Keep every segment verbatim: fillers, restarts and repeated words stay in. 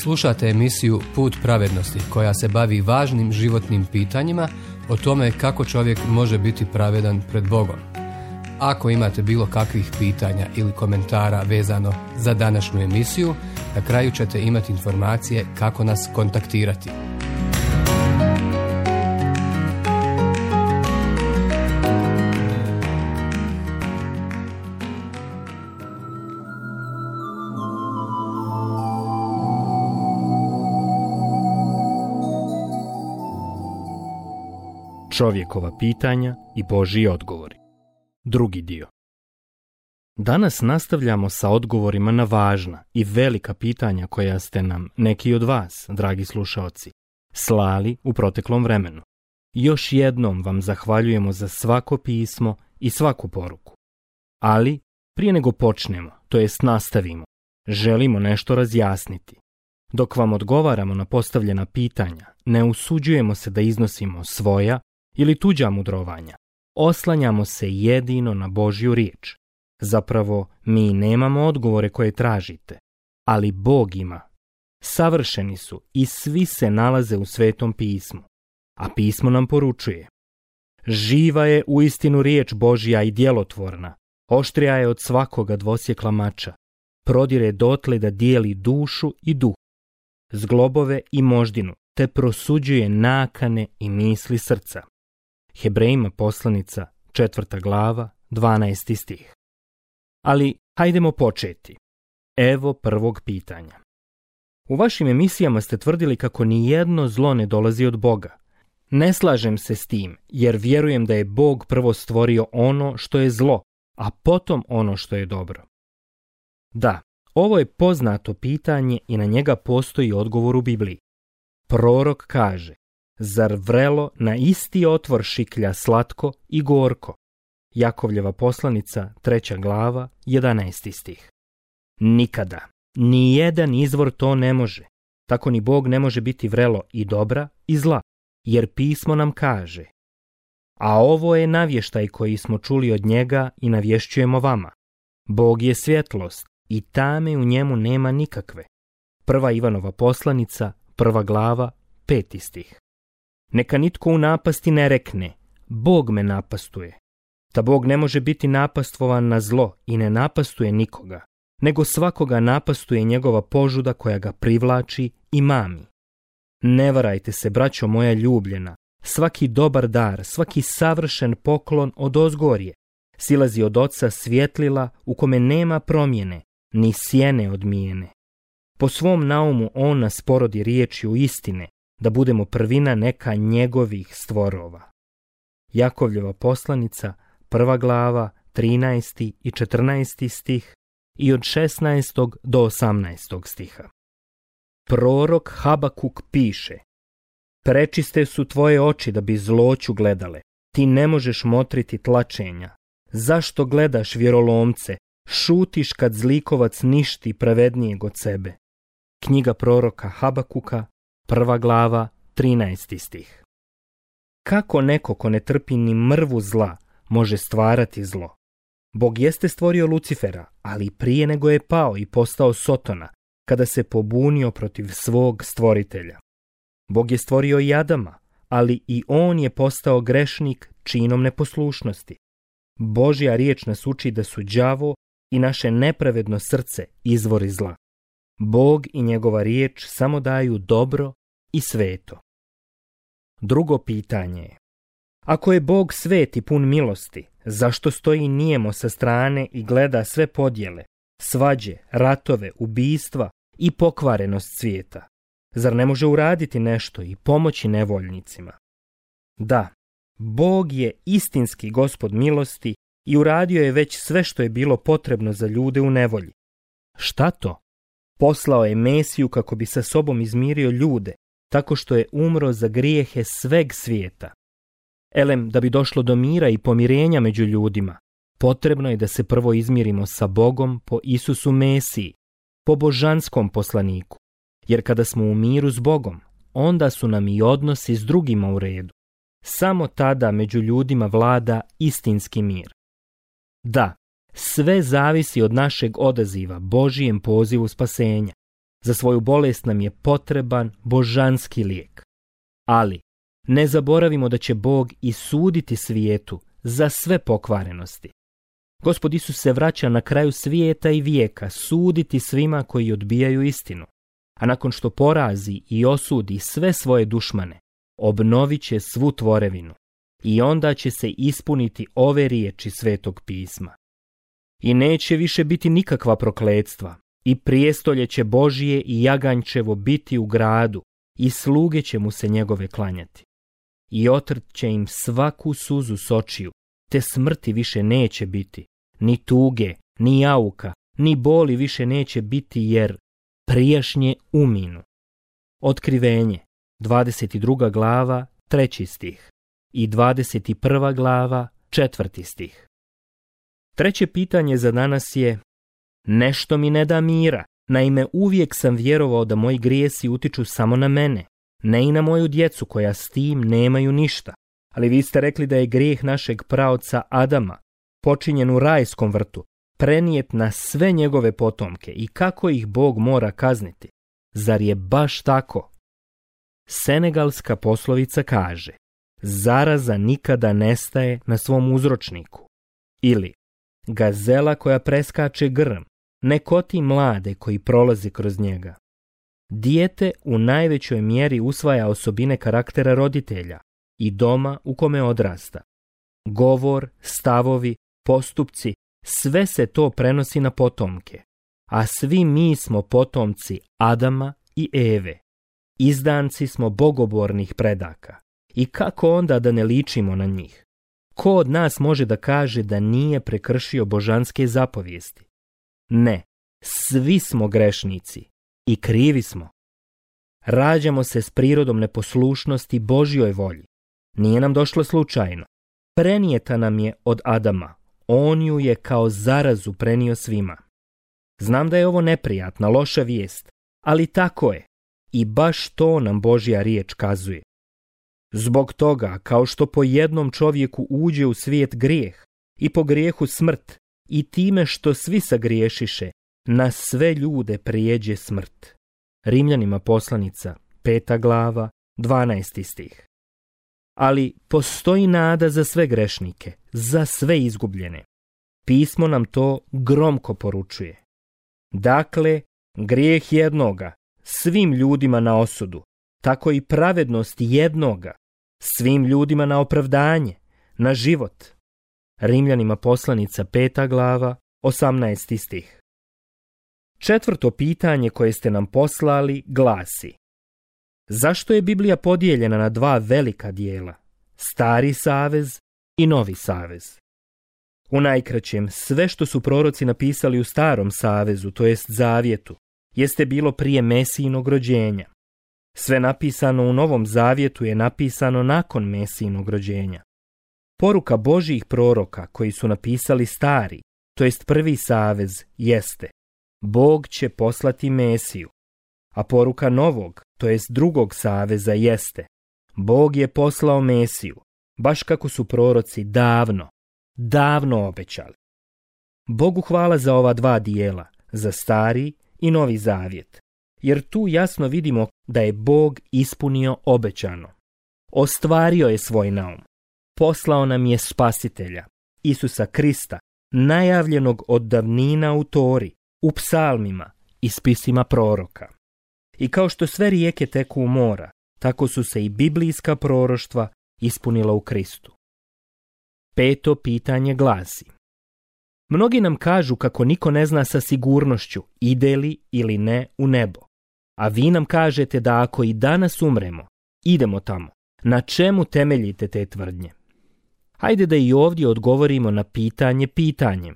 Slušate emisiju Put pravednosti koja se bavi važnim životnim pitanjima o tome kako čovjek može biti pravedan pred Bogom. Ako imate bilo kakvih pitanja ili komentara vezano za današnju emisiju, na kraju ćete imati informacije kako nas kontaktirati. Čovjekova pitanja i Božji odgovori. Drugi dio. Danas nastavljamo sa odgovorima na važna i velika pitanja koja ste nam, neki od vas, dragi slušaoci, slali u proteklom vremenu. Još jednom vam zahvaljujemo za svako pismo i svaku poruku. Ali, prije nego počnemo, to jest nastavimo, želimo nešto razjasniti. Dok vam odgovaramo na postavljena pitanja, ne usuđujemo se da iznosimo svoja ili tuđa mudrovanja. Oslanjamo se jedino na Božju riječ. Zapravo, mi nemamo odgovore koje tražite, ali Bog ima. Savršeni su i svi se nalaze u Svetom pismu, a pismo nam poručuje: živa je uistinu riječ Božja i djelotvorna, oštrija je od svakoga dvosjekla mača, prodire dotle da dijeli dušu i duh, zglobove i moždinu, te prosuđuje nakane i misli srca. Hebrejima poslanica, četvrta glava, dvanaesti stih. Ali hajdemo početi. Evo prvog pitanja. U vašim emisijama ste tvrdili kako ni jedno zlo ne dolazi od Boga. Ne slažem se s tim, jer vjerujem da je Bog prvo stvorio ono što je zlo, a potom ono što je dobro. Da, ovo je poznato pitanje i na njega postoji odgovor u Bibliji. Prorok kaže: zar vrelo na isti otvor šiklja slatko i gorko? Jakovljeva poslanica, treća glava, jedanaesti stih. Nikada, ni jedan izvor to ne može. Tako ni Bog ne može biti vrelo i dobra i zla, jer pismo nam kaže: a ovo je navještaj koji smo čuli od njega i navješćujemo vama. Bog je svjetlost i tame u njemu nema nikakve. Prva Ivanova poslanica, prva glava, peti stih. Neka nitko u napasti ne rekne: Bog me napastuje. Ta Bog ne može biti napastvovan na zlo i ne napastuje nikoga, nego svakoga napastuje njegova požuda koja ga privlači i mami. Ne varajte se, braćo moja ljubljena, svaki dobar dar, svaki savršen poklon od ozgorje silazi od Oca svjetlila u kome nema promjene, ni sjene odmijene. Po svom naumu on nas porodi riječju istine, da budemo prvina neka njegovih stvorova. Jakovljeva poslanica, prva glava, trinaesti i četrnaesti stih i od šesnaestog do osamnaestog stiha. Prorok Habakuk piše: prečiste su tvoje oči da bi zloću gledale, ti ne možeš motriti tlačenja. Zašto gledaš vjerolomce, šutiš kad zlikovac ništi pravednijeg od sebe? Knjiga proroka Habakuka, prva glava, trinaesti stih. Kako neko ko ne trpi ni mrvu zla može stvarati zlo? Bog jeste stvorio Lucifera, ali prije nego je pao i postao Sotona, kada se pobunio protiv svog stvoritelja. Bog je stvorio i Adama, ali i on je postao grešnik činom neposlušnosti. Božja riječ nas uči da su đavo i naše nepravedno srce izvori zla. Bog i njegova riječ samo daju dobro i sveto. Drugo pitanje je: ako je Bog svet i pun milosti, zašto stoji nijemo sa strane i gleda sve podjele, svađe, ratove, ubijstva i pokvarenost svijeta? Zar ne može uraditi nešto i pomoći nevoljnicima? Da, Bog je istinski Gospod milosti i uradio je već sve što je bilo potrebno za ljude u nevolji. Šta to? Poslao je Mesiju kako bi sa sobom izmirio ljude, tako što je umro za grijehe sveg svijeta. Elem, da bi došlo do mira i pomirenja među ljudima, potrebno je da se prvo izmirimo sa Bogom po Isusu Mesiji, po božanskom poslaniku, jer kada smo u miru s Bogom, onda su nam i odnosi s drugima u redu. Samo tada među ljudima vlada istinski mir. Da, sve zavisi od našeg odaziva Božijem pozivu spasenja. Za svoju bolest nam je potreban božanski lijek. Ali ne zaboravimo da će Bog i suditi svijetu za sve pokvarenosti. Gospod Isus se vraća na kraju svijeta i vijeka suditi svima koji odbijaju istinu, a nakon što porazi i osudi sve svoje dušmane, obnovit će svu tvorevinu i onda će se ispuniti ove riječi Svetog pisma. I neće više biti nikakva prokletstva, i prijestolje će Božije i jaganjčevo biti u gradu, i sluge će mu se njegove klanjati. I otrt će im svaku suzu s očiju, te smrti više neće biti, ni tuge, ni jauka, ni boli više neće biti, jer prijašnje uminu. Otkrivenje, dvadeset druga glava, treći stih i dvadeset prva glava, četvrti stih. Treće pitanje za danas je: nešto mi ne da mira, naime uvijek sam vjerovao da moji grijesi utiču samo na mene, ne i na moju djecu koja s tim nemaju ništa. Ali vi ste rekli da je grijeh našeg praoca Adama, počinjen u rajskom vrtu, prenijet na sve njegove potomke i kako ih Bog mora kazniti. Zar je baš tako? Senegalska poslovica kaže: zaraza nikada nestaje na svom uzročniku. Ili, gazela koja preskače grm ne koti mlade koji prolaze kroz njega. Dijete u najvećoj mjeri usvaja osobine karaktera roditelja i doma u kome odrasta. Govor, stavovi, postupci, sve se to prenosi na potomke, a svi mi smo potomci Adama i Eve. Izdanci smo bogobornih predaka. I kako onda da ne ličimo na njih? Ko od nas može da kaže da nije prekršio božanske zapovijesti? Ne, svi smo grešnici i krivi smo. Rađamo se s prirodom neposlušnosti Božjoj volji. Nije nam došlo slučajno. Prenijeta nam je od Adama. On ju je kao zarazu prenio svima. Znam da je ovo neprijatna, loša vijest, ali tako je. I baš to nam Božja riječ kazuje. Zbog toga, kao što po jednom čovjeku uđe u svijet grijeh i po grijehu smrt, i time što svi sagriješiše, na sve ljude prijeđe smrt. Rimljanima poslanica, peta glava, dvanaesti stih. Ali postoji nada za sve grešnike, za sve izgubljene. Pismo nam to gromko poručuje. Dakle, grijeh jednoga, svim ljudima na osudu, tako i pravednost jednoga, svim ljudima na opravdanje, na život. Rimljanima poslanica peta glava, osamnaesti stih. Četvrto pitanje koje ste nam poslali glasi: zašto je Biblija podijeljena na dva velika dijela, Stari savez i Novi savez? U najkraćem, sve što su proroci napisali u Starom savezu, to jest Zavjetu, jeste bilo prije Mesijinog rođenja. Sve napisano u Novom zavjetu je napisano nakon Mesijinog rođenja. Poruka Božjih proroka koji su napisali Stari, to jest Prvi savez, jeste: Bog će poslati Mesiju. A poruka Novog, to jest Drugog saveza, jeste: Bog je poslao Mesiju, baš kako su proroci davno, davno obećali. Bogu hvala za ova dva dijela, za Stari i Novi zavjet, jer tu jasno vidimo da je Bog ispunio obećano. Ostvario je svoj naum. Poslao nam je Spasitelja, Isusa Krista, najavljenog od davnina u Tori, u psalmima i spisima proroka. I kao što sve rijeke teku u mora, tako su se i biblijska proroštva ispunila u Kristu. Peto pitanje glasi: mnogi nam kažu kako niko ne zna sa sigurnošću ide li ili ne u nebo. A vi nam kažete da ako i danas umremo, idemo tamo. Na čemu temeljite te tvrdnje? Hajde da i ovdje odgovorimo na pitanje pitanjem.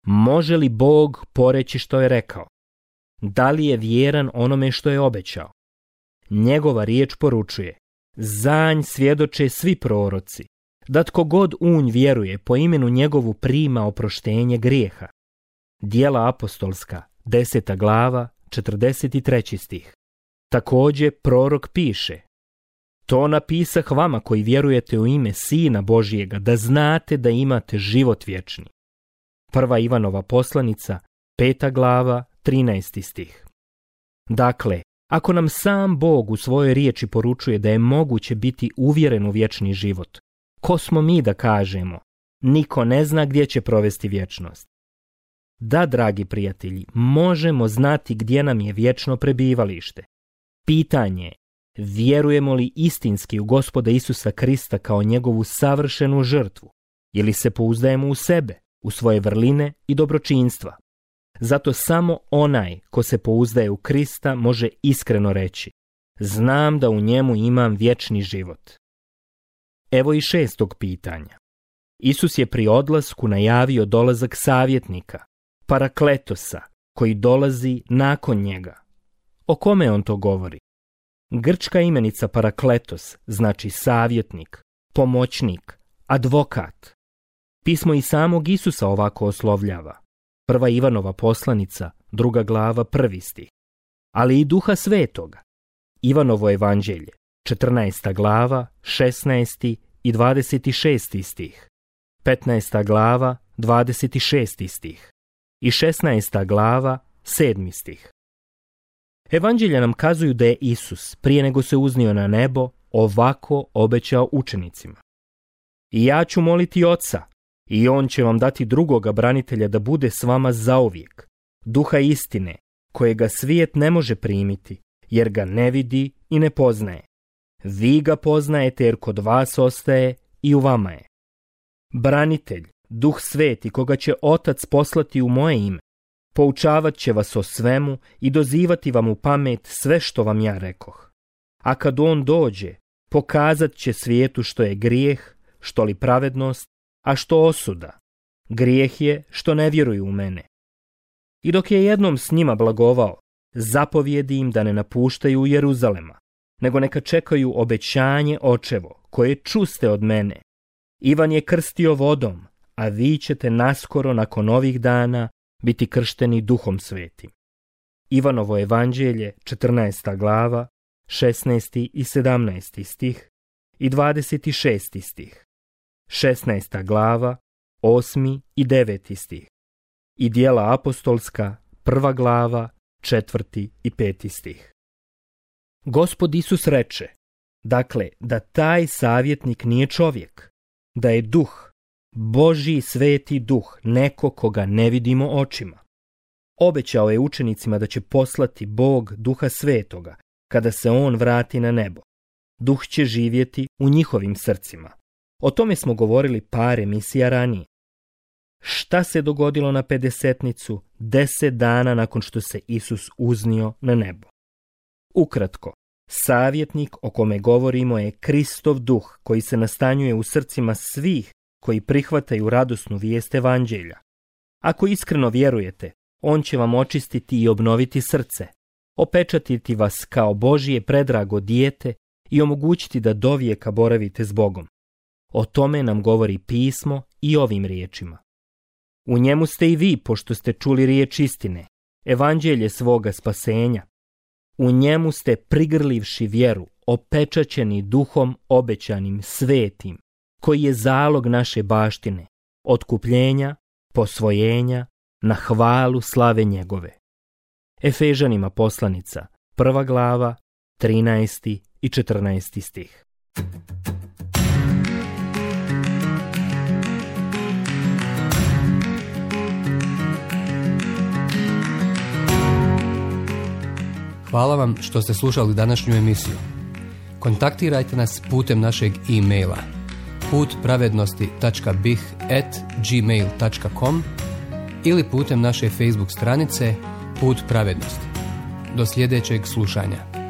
Može li Bog poreći što je rekao? Da li je vjeran onome što je obećao? Njegova riječ poručuje: za nj svjedoče svi proroci, da tko god u nj vjeruje po imenu njegovu prima oproštenje grijeha. Djela apostolska, deseta glava, četrdeset treći stih. Također prorok piše: to napisah vama koji vjerujete u ime Sina Božijega, da znate da imate život vječni. Prva Ivanova poslanica, peta glava, trinaesti stih. Dakle, ako nam sam Bog u svojoj riječi poručuje da je moguće biti uvjeren u vječni život, ko smo mi da kažemo? Niko ne zna gdje će provesti vječnost. Da, dragi prijatelji, možemo znati gdje nam je vječno prebivalište. Pitanje je, vjerujemo li istinski u Gospoda Isusa Krista kao njegovu savršenu žrtvu, ili se pouzdajemo u sebe, u svoje vrline i dobročinstva? Zato samo onaj ko se pouzdaje u Krista može iskreno reći: znam da u njemu imam vječni život. Evo i šestog pitanja. Isus je pri odlasku najavio dolazak savjetnika, Parakletosa, koji dolazi nakon njega. O kome on to govori? Grčka imenica Parakletos znači savjetnik, pomoćnik, advokat. Pismo i samog Isusa ovako oslovljava. Prva Ivanova poslanica, druga glava, prvi stih. Ali i Duha Svetoga. Ivanovo evanđelje, četrnaesta glava, šesnaesti i dvadeset šesti stih. petnaesta glava, dvadeset šesti stih. I šesnaesta glava, sedmi stih. Evanđelja nam kazuju da je Isus, prije nego se uznio na nebo, ovako obećao učenicima. I ja ću moliti Oca, i on će vam dati drugoga branitelja da bude s vama zauvijek, Duha istine, kojega svijet ne može primiti, jer ga ne vidi i ne poznaje. Vi ga poznajete jer kod vas ostaje i u vama je. Branitelj, Duh Sveti, koga će Otac poslati u moje ime, poučavat će vas o svemu i dozivati vam u pamet sve što vam ja rekoh. A kad on dođe, pokazat će svijetu što je grijeh, što li pravednost, a što osuda. Grijeh je što ne vjeruju u mene. I dok je jednom s njima blagovao, zapovjedi im da ne napuštaju Jeruzalema, nego neka čekaju obećanje Očevo, koje čuste od mene. Ivan je krstio vodom, a vi ćete naskoro nakon ovih dana biti kršteni Duhom Svetim. Ivanovo evanđelje, četrnaesta glava, šesnaesti i sedamnaesti stih i dvadeset šesti stih. šesnaesta glava, osmi i deveti stih. I Djela apostolska, prva glava, četvrti i peti stih. Gospod Isus reče, dakle, da taj savjetnik nije čovjek, da je duh, Božji sveti duh, neko koga ne vidimo očima. Obećao je učenicima da će poslati Bog Duha Svetoga kada se on vrati na nebo. Duh će živjeti u njihovim srcima. O tome smo govorili par emisija ranije. Šta se dogodilo na pedesetnicu deset dana nakon što se Isus uznio na nebo? Ukratko, savjetnik o kome govorimo je Kristov duh koji se nastanjuje u srcima svih koji prihvataju radosnu vijest evanđelja. Ako iskreno vjerujete, on će vam očistiti i obnoviti srce, opečatiti vas kao Božje predrago dijete i omogućiti da dovijeka boravite s Bogom. O tome nam govori pismo i ovim riječima. U njemu ste i vi, pošto ste čuli riječ istine, evanđelje svoga spasenja. U njemu ste prigrlivši vjeru, opečaćeni duhom obećanim svetim, koji je zalog naše baštine, otkupljenja, posvojenja, na hvalu slave njegove. Efežanima poslanica, prva glava, trinaesti i četrnaesti stih. Hvala vam što ste slušali današnju emisiju. Kontaktirajte nas putem našeg e-maila put pravednosti tačka bih at gmail tačka com ili putem naše Facebook stranice Put pravednosti. Do sljedećeg slušanja.